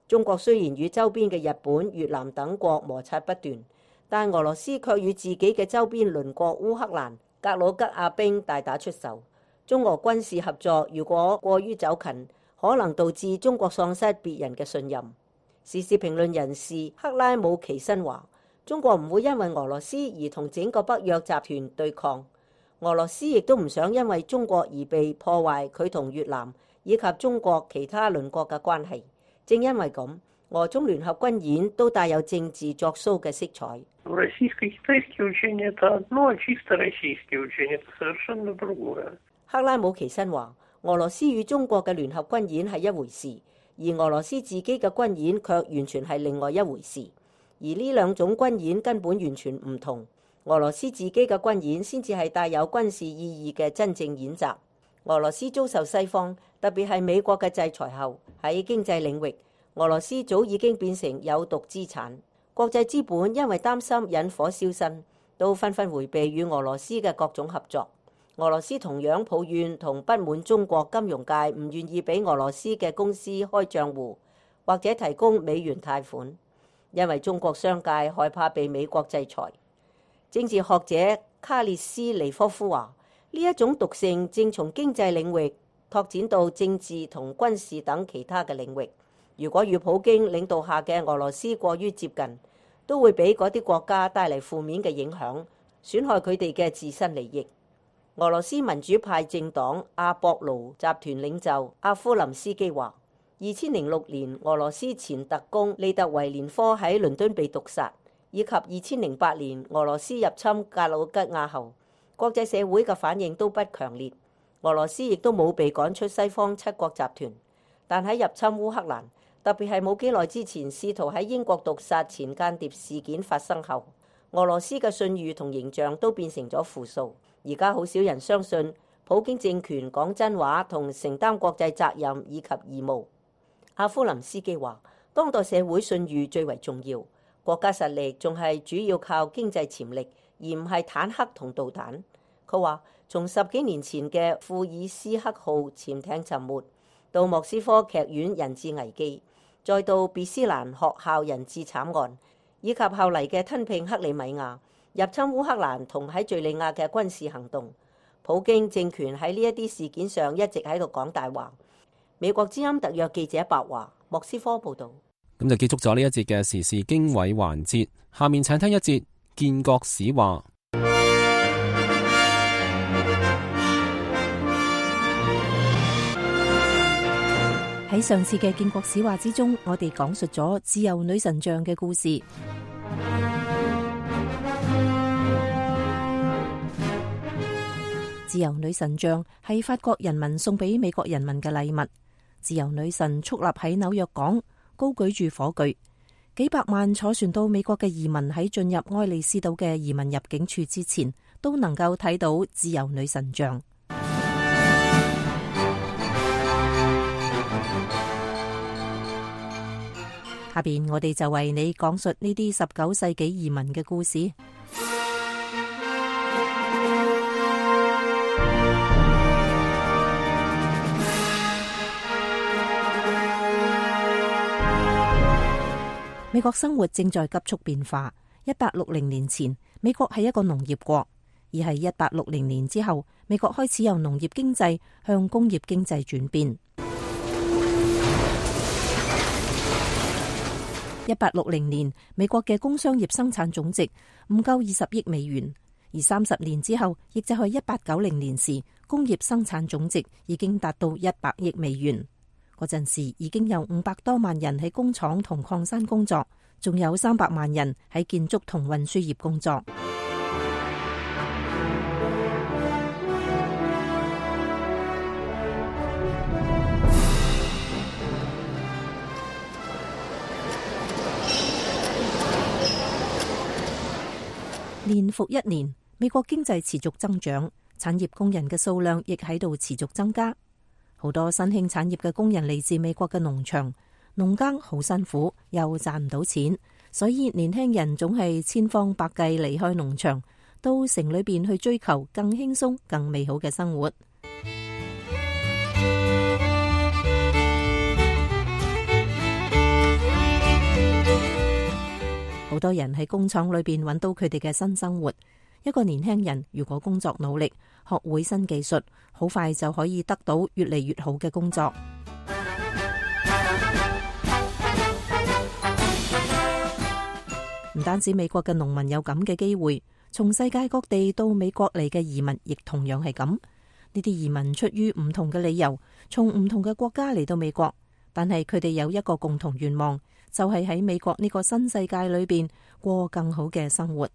中國雖然與周邊嘅日本、越南等國摩擦不斷，但俄羅斯卻與自己嘅周邊鄰國烏克蘭、格魯吉亞兵大打出手。中俄軍事合作如果過於走近，可能導致中國喪失別人嘅信任。時事評論人士克拉姆奇申話，中國唔會因為俄羅斯而同整個北約集團對抗。俄羅斯亦都唔想因為中國而被破壞佢同越南以及中國其他鄰國嘅關係。正因為咁，俄中聯合軍演都帶有政治作騷嘅色彩。克拉姆奇申話，俄羅斯與中國嘅聯合軍演係一回事，而俄羅斯自己嘅軍演卻完全係另外一回事。而呢兩種軍演根本完全唔同。俄羅斯自己嘅軍演先至係帶有軍事意義嘅真正演習。俄羅斯遭受西方，特別係美國嘅制裁後，喺經濟領域，俄羅斯早已經變成有毒資產。國際資本因為擔心引火燒身，都紛紛迴避與俄羅斯嘅各種合作。俄羅斯同樣抱怨同不滿中國金融界唔願意俾俄羅斯嘅公司開賬戶或者提供美元貸款，因為中國商界害怕被美國制裁。政治學者卡列斯尼科夫話，呢一種毒性正從經濟領域拓展到政治同軍事等其他嘅領域。如果與普京領導下嘅俄羅斯過於接近，都會俾嗰啲國家帶嚟負面嘅影響，損害佢哋嘅自身利益。俄羅斯民主派政黨阿博盧集團領袖阿夫林斯基話，2006年俄羅斯前特工利特維連科喺倫敦被毒殺，以及2008年俄羅斯入侵格魯吉亞後，國際社會嘅反應都不強烈。俄羅斯亦都冇被趕出西方7國集團，但喺入侵烏克蘭，特別係冇幾耐之前試圖喺英國毒殺前間諜事件發生後，俄羅斯嘅信譽同形象都變成咗負數。而家好少人相信普京政權講真話同承擔國際責任以及義務。阿夫林斯基話：當代社會信譽最為重要，國家實力仲係主要靠經濟潛力，而唔係坦克同導彈。佢話：從10幾年前嘅庫爾斯克號潛艇沉沒，到莫斯科劇院人質危機，再到別斯蘭學校人質慘案，以及後嚟嘅吞併克里米亞、入侵烏克蘭同喺敘利亞嘅軍事行動，普京政權喺呢一啲事件上一直喺度講大話。美國之音特約記者白華，莫斯科報導。咁就結束咗呢一節嘅時事經緯環節，下面請聽一節建國史話。喺上次嘅建國史話之中，我哋講述咗自由女神像嘅故事。自由女神像係法國人民送俾美國人民嘅禮物。自由女神矗立喺紐約港，高舉住火炬。幾百萬坐船到美國嘅移民喺進入愛麗絲島嘅移民入境處之前，都能夠睇到自由女神像。下邊我哋就為你講述呢啲19世紀移民嘅故事。美國生活正在急速變化。1860年前，美國係一個農業國，而係1860年之後，美國開始由農業經濟向工業經濟轉變。1860年，美國嘅工商業生產總值唔夠20億美元，而30年之後，亦就係1890年時，工業生產總值已經達到100億美元。嗰陣時已經有500多萬人喺工廠同礦山工作，仲有300萬人喺建築同運輸業工作。年復一年，美國經濟持續增長，產業工人嘅數量亦喺度持續增加。好多新興產業嘅工人嚟自美國嘅農場，農耕好辛苦，又賺唔到錢，所以年輕人總係千方百計離開農場，到城裏邊去追求更輕鬆、更美好嘅生活。好多人喺工廠裏邊揾到佢哋嘅新生活。一個年輕人如果工作努力，學會新技術，好快就可以得到越嚟越好嘅工作。唔單止美國嘅農民有咁嘅機會，從世界各地到美國嚟嘅移民亦同樣係咁。呢啲移民出於唔同嘅理由，從唔同嘅國家嚟到美國，但係佢哋有一個共同願望，就係喺美國呢個新世界裏邊過更好嘅生活。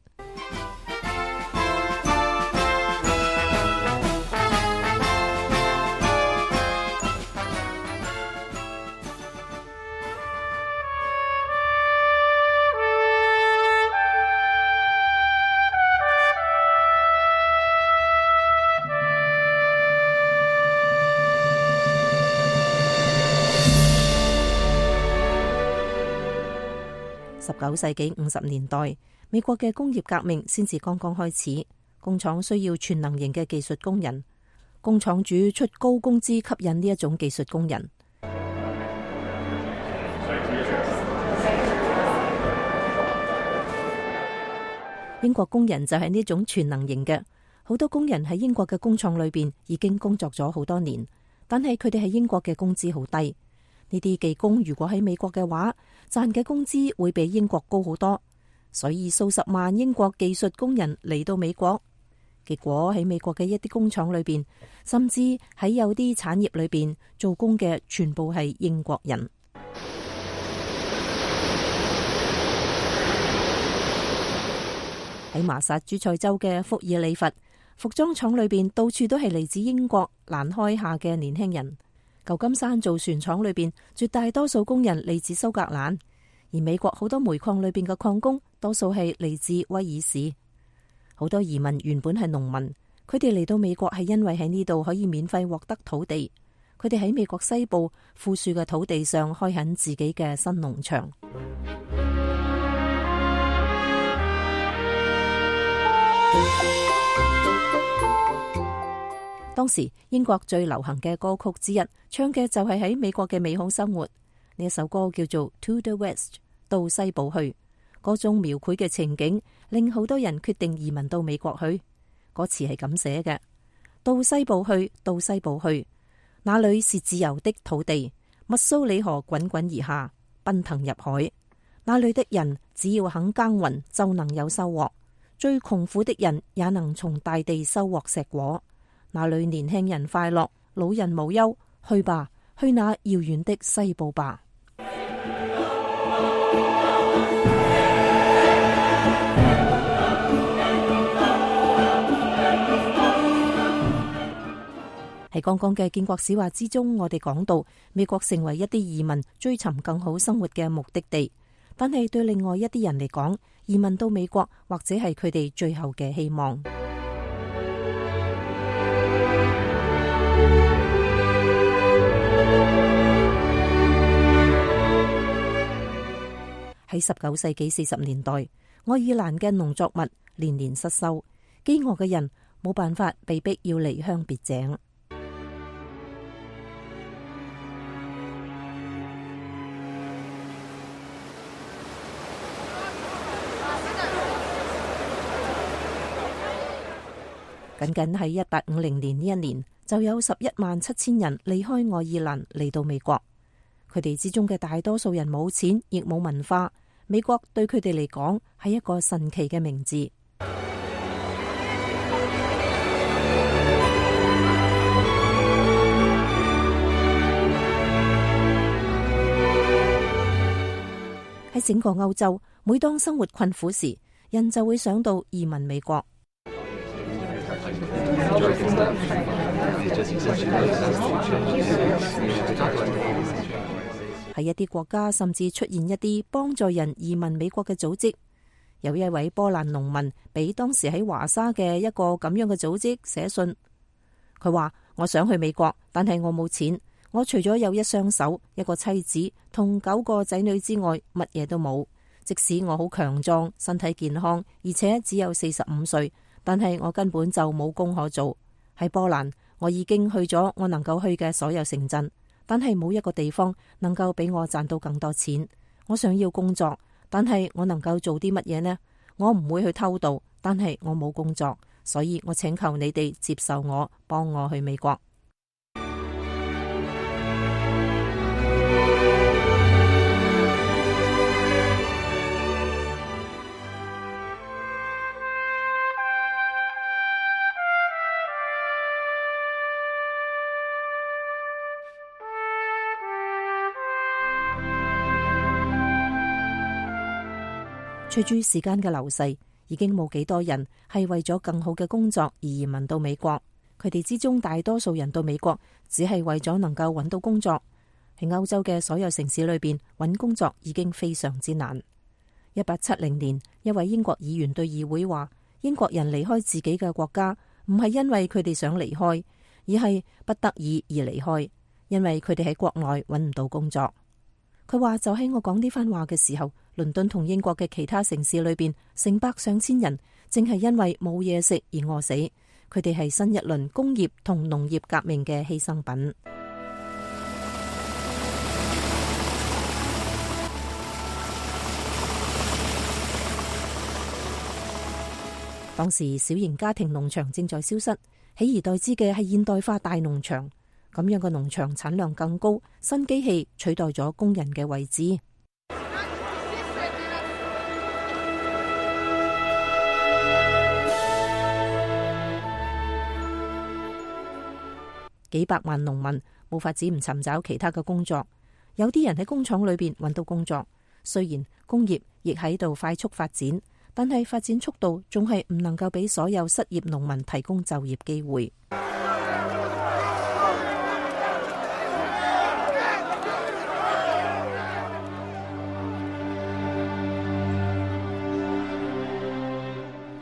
19世紀50年代，美國嘅工業革命先至剛剛開始，工廠需要全能型嘅技術工人，工廠主出高工資吸引呢一種技術工人。英國工人就係呢種全能型嘅，好多工人喺英國嘅工廠裏邊已經工作咗好多年，但係佢哋喺英國嘅工資好低。呢啲技工如果喺美國嘅話，賺嘅工資會比英國高好多，所以數十萬英國技術工人嚟到美國，結果喺美國嘅一啲工廠裏邊，甚至喺有啲產業裏邊做工嘅全部係英國人。喺麻薩諸塞州嘅福爾里弗服裝廠裏邊，到處都係嚟自英國蘭開夏嘅年輕人。舊金山造船廠裏邊絕大多數工人嚟自蘇格蘭，而美國好多煤礦裏邊嘅礦工多數係嚟自威爾士。好多移民原本係農民，佢哋嚟到美國係因為喺呢度可以免費獲得土地。佢哋喺美國西部富庶嘅土地上開墾自己嘅新農場。當時英國最流行嘅歌曲之一，唱嘅就係喺美國嘅美好生活。呢一首歌叫做《To the West》，到西部去。嗰種描繪嘅情景令好多人決定移民到美國去。歌詞係咁寫嘅：到西部去，到西部去，那裏是自由的土地，密蘇里河滾滾而下，奔騰入海。那裏的人只要肯耕耘，就能有收穫。最窮苦的人也能從大地收穫碩果。那裏年輕人快樂，老人無憂。去吧，去那遙遠的西部吧。喺剛剛嘅建國史話之中，我哋講到美國成為一啲移民追尋更好生活嘅目的地，但係對另外一啲人嚟講，移民到美國或者係佢哋最後嘅希望。喺19世紀40年代，愛爾蘭嘅農作物年年失收，飢餓嘅人冇辦法，被逼要離鄉別井。僅僅喺1850年呢一年，就有117000人離開愛爾蘭嚟到美國。佢哋之中嘅大多數人冇錢，亦冇文化。美國對佢哋嚟講係一個神奇嘅名字。喺整個歐洲，每當生活困苦時，人就會想到移民美國。喺一啲國家，甚至出現一啲幫助人移民美國嘅組織。有一位波蘭農民俾當時喺華沙嘅一個咁樣嘅組織寫信，佢話：我想去美國，但係我冇錢。我除咗有一雙手、一個妻子同9個仔女之外，乜嘢都冇。即使我好強壯、身體健康，而且只有45歲，但係我根本就冇工可做。喺波蘭，我已經去咗我能夠去嘅所有城鎮，但係冇一個地方能夠俾我賺到更多錢。我想要工作，但係我能夠做啲乜嘢呢？我唔會去偷渡，但係我冇工作，所以我請求你哋接受我，幫我去美國。隨住時間嘅流逝，已經冇幾多人係為咗更好嘅工作而移民到美國。佢哋之中大多數人到美國只係為咗能夠揾到工作。喺歐洲嘅所有城市裏邊，揾工作已經非常之難。1870年，一位英國議員對議會話：英國人離開自己嘅國家，唔係因為佢哋想離開，而係不得已而離開，因為佢哋喺國內揾唔到工作。佢話就喺我講呢番話嘅時候，倫敦同英國嘅其他城市裏邊，成百上千人正係因為冇嘢食而餓死。佢哋係新一輪工業同農業革命嘅犧牲品。當時小型家庭農場正在消失，取而代之嘅係現代化大農場。咁樣嘅農場產量更高，新機器取代咗工人嘅位置。幾百萬農民冇法子唔尋找其他嘅工作，有啲人喺工廠裏邊揾到工作。雖然工業亦喺度快速發展，但係發展速度仲係唔能夠俾所有失業農民提供就業機會。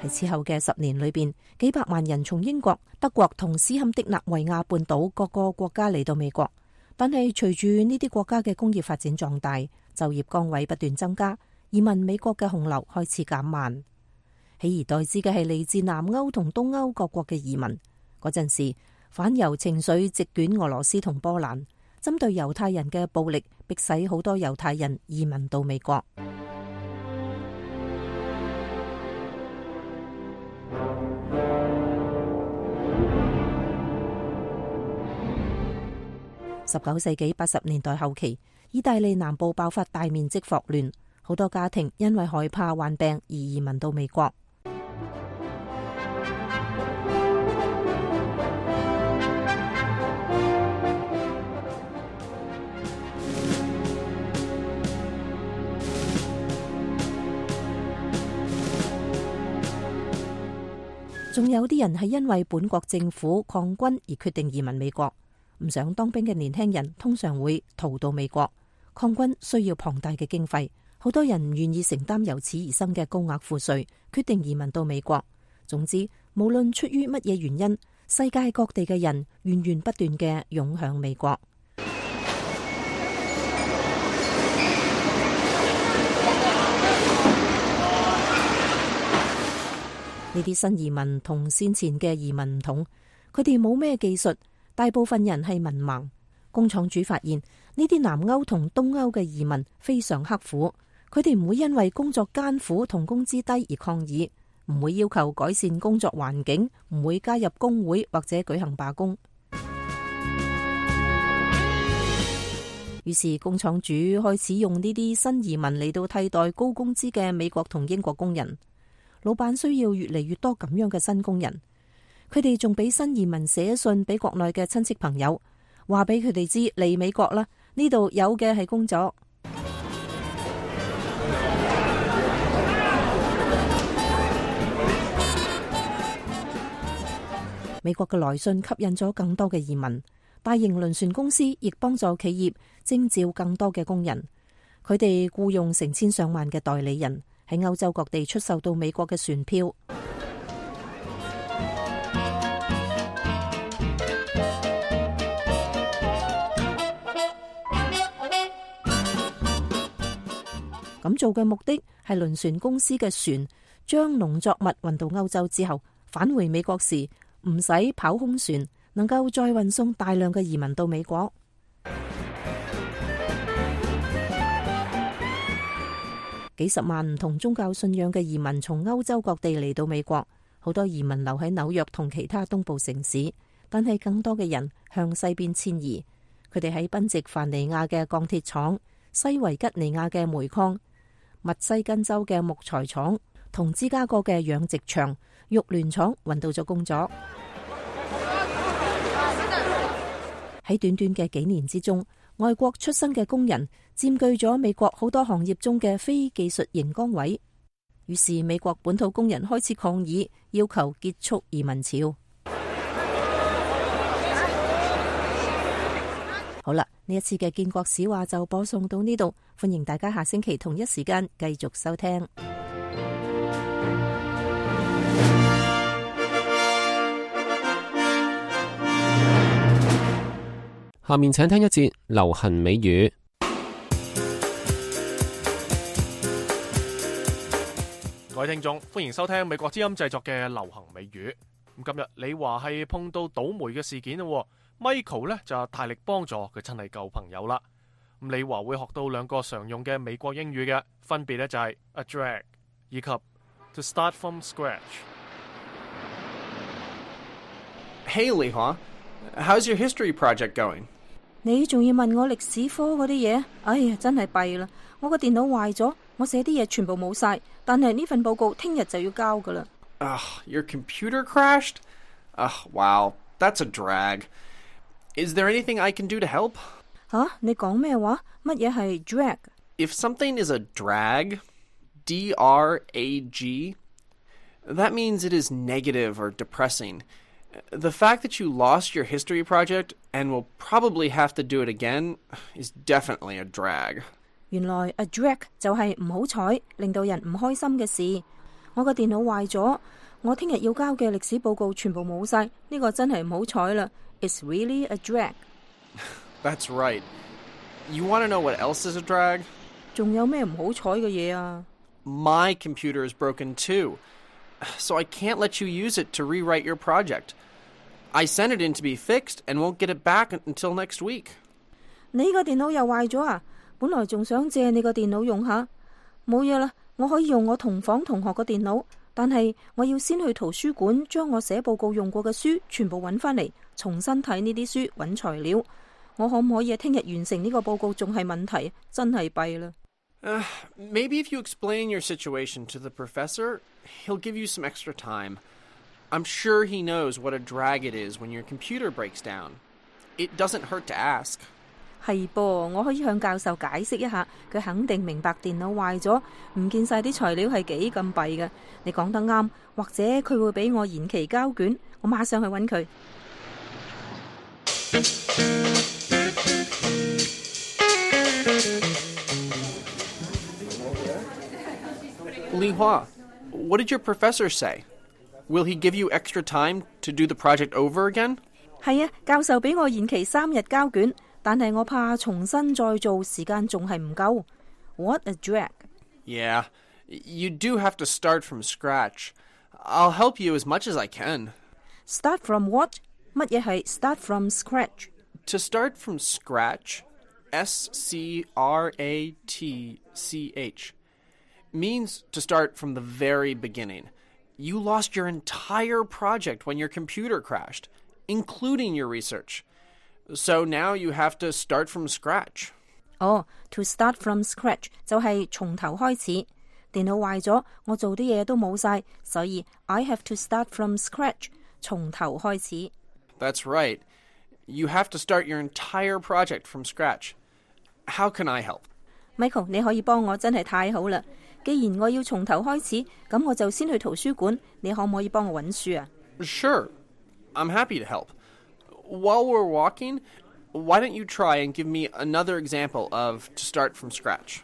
喺此後嘅10年裏邊，幾百萬人從英國、德國同斯堪的納維亞半島各個國家嚟到美國。但係隨住呢啲國家嘅工業發展壯大，就業崗位不斷增加，移民美國嘅洪流開始減慢。取而代之嘅係嚟自南歐同東歐各國嘅移民。嗰陣時，反猶情緒席捲俄羅斯同波蘭，針對猶太人嘅暴力迫使好多猶太人移民到美國。19世紀80年代後期，意大利南部爆發大面積霍亂，好多家庭因為害怕患病而移民到美國。仲有啲人係因為本國政府抗軍而決定移民美國。唔想當兵嘅年輕人通常會逃到美國。抗軍需要龐大嘅經費，好多人唔願意承擔由此而生嘅高額賦稅，決定移民到美國。總之，無論出於乜嘢原因，世界各地嘅人源源不斷嘅湧向美國。呢啲新移民同先前嘅移民唔同，佢哋冇咩技術。大部分人係文盲。工廠主發現呢啲南歐同東歐嘅移民非常刻苦，佢哋唔會因為工作艱苦同工資低而抗議，唔會要求改善工作環境，唔會加入工會或者舉行罷工。於是工廠主開始用呢啲新移民嚟到替代高工資嘅美國同英國工人。老闆需要越嚟越多咁樣嘅新工人。佢哋仲俾新移民寫信俾國內嘅親戚朋友，話俾佢哋知嚟美國啦，呢度有嘅係工作。美國嘅來信吸引咗更多嘅移民，大型輪船公司亦幫助企業徵召更多嘅工人。佢哋僱用成千上萬嘅代理人，喺歐洲各地出售到美國嘅船票。咁做嘅目的係輪船公司嘅船將農作物運到歐洲之後，返回美國時唔使跑空船，能夠再運送大量嘅移民到美國。幾十萬唔同宗教信仰嘅移民從歐洲各地嚟到美國，好多移民留喺紐約同其他東部城市，但係更多嘅人向西邊遷移。佢哋喺賓夕凡尼亞嘅鋼鐵廠、西維吉尼亞嘅煤礦、密西根州嘅木材廠同芝加哥嘅養殖場、肉聯廠揾到咗工作。喺短短嘅幾年之中，外國出生嘅工人佔據咗美國好多行業中嘅非技術型崗位。於是美國本土工人開始抗議，要求結束移民潮。好啦，呢一次嘅建國史話就播送到呢度，歡迎大家下星期同一時間繼續收聽。下面請聽一節流行美語。各位聽眾，歡迎收聽美國之音製作嘅流行美語。咁今日你話係碰到倒霉嘅事件咯。Michael 咧就大力幫助佢真係舊朋友啦。咁你話會學到兩個常用嘅美國英語嘅，分別咧就係 a drag 以及 to start from scratch。 Hey, Lihua, how's your history project going? 你仲要問我歷史科嗰啲嘢？哎呀，真係弊啦！我個電腦壞咗，我寫啲嘢全部冇晒，但係呢份報告聽日就要交噶啦。Your computer crashed? Wow, that's a drag. Is there anything I can do to help? 你講咩話？乜嘢係 drag? If something is a drag, D-R-A-G, that means it is negative or depressing. The fact that you lost your history project and will probably have to do it again is definitely a drag. 原來 a drag 就係唔好彩，令到人唔開心嘅事。我個電腦壞咗，我聽日要交嘅歷史報告全部冇晒，呢個真係唔好彩啦。It's really a drag. That's right. You want to know what else is a drag? 仲有咩唔好彩嘅嘢啊？ My computer is broken too, so I can't let you use it to rewrite your project. I sent it in to be fixed and won't get it back until next week. 你個電腦又壞咗啊？本來仲想借你個電腦用下，冇嘢啦，我可以用我同房同學個電腦，但係我要先去圖書館將我寫報告用過嘅書全部揾返嚟，重新睇呢啲書揾材料。我可唔可以聽日完成呢個報告仲係問題，真係弊啦。Maybe if you explain your situation to the professor, he'll give you some extra time. I'm sure he knows what a drag it is when your computer breaks down. It doesn't hurt to ask. 係噃，我可以向教授解釋一下，佢肯定明白電腦壞咗，唔見晒啲材料係幾咁弊嘅。你講得啱，或者佢會俾我延期交卷，我馬上去揾佢。Li Hua, what did your professor say? Will he give you extra time to do the project over again? 係啊，教授俾我延期3日交卷，但係我怕重新再做時間仲係唔夠。What a drag! Yeah, you do have to start from scratch. I'll help you as much as I can. Start from what? 乜嘢係 start from scratch? To start from scratch, S-C-R-A-T-C-H, means to start from the very beginning. You lost your entire project when your computer crashed, including your research. So now you have to start from scratch. To start from scratch 就係從頭開始。電腦壞咗，我做啲嘢都冇晒，所以 I have to start from scratch， 從頭開始。That's right. You have to start your entire project from scratch. How can I help? Michael， 你可以幫我，真係太好啦！既然我要從頭開始，咁我就先去圖書館。你可唔可以幫我揾書啊？ Sure. I'm happy to help. While we're walking, why don't you try and give me another example of to start from scratch?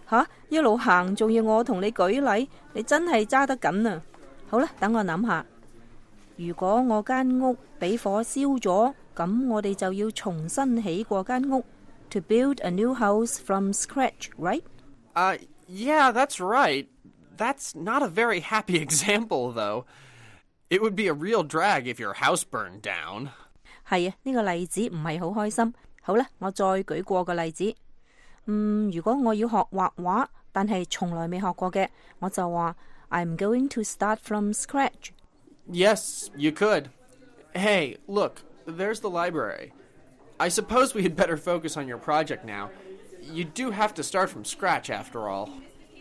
吓，一路行仲要我同你舉例，你真係揸得緊啊！好啦，等我諗下。如果我間屋俾火燒咗，咁我哋就要重新起過間屋。To build a new house from scratch, right? Yeah, that's right. That's not a very happy example, though. It would be a real drag if your house burned down. 係啊，呢個例子唔係好開心。好啦，我再舉過個例子。如果我要學畫畫，但係從來未學過嘅，我就話 I'm going to start from scratch. Yes, you could. Hey, look, there's the library. I suppose we had better focus on your project now. You do have to start from scratch after all.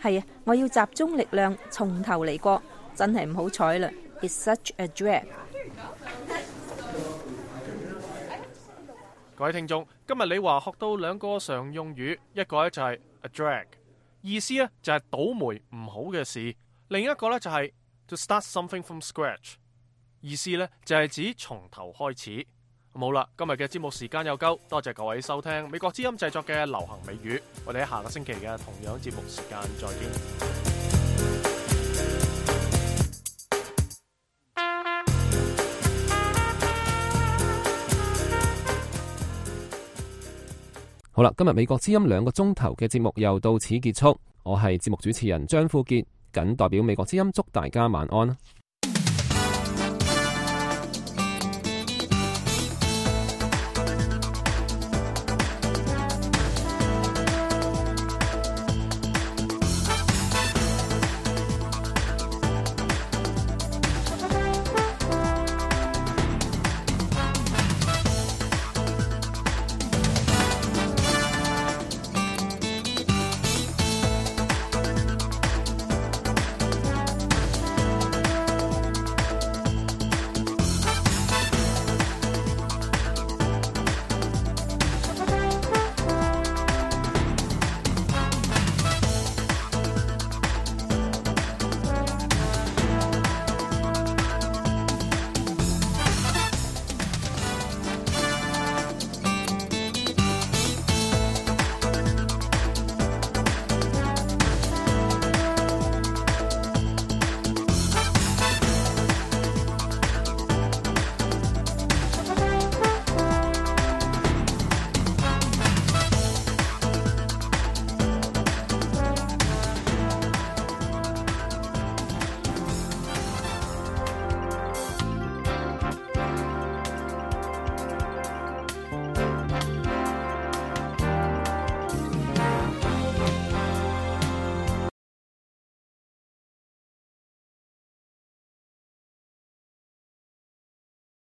係啊，我要集中力量，從頭嚟過，真係唔好彩啦。It's such a drag. 各位聽眾，今日李華學到2個常用語，一個咧就係 a drag， 意思咧就係倒霉唔好嘅事；另一個咧就係 to start something from scratch， 意思咧就係指從頭開始。好啦，今日嘅節目時間又夠，多謝各位收聽美國之音製作嘅流行美語，我哋喺下個星期嘅同樣節目時間再見。好啦，今日美國之音2個鐘頭嘅節目又到此結束，我係節目主持人張富傑，謹代表美國之音祝大家晚安。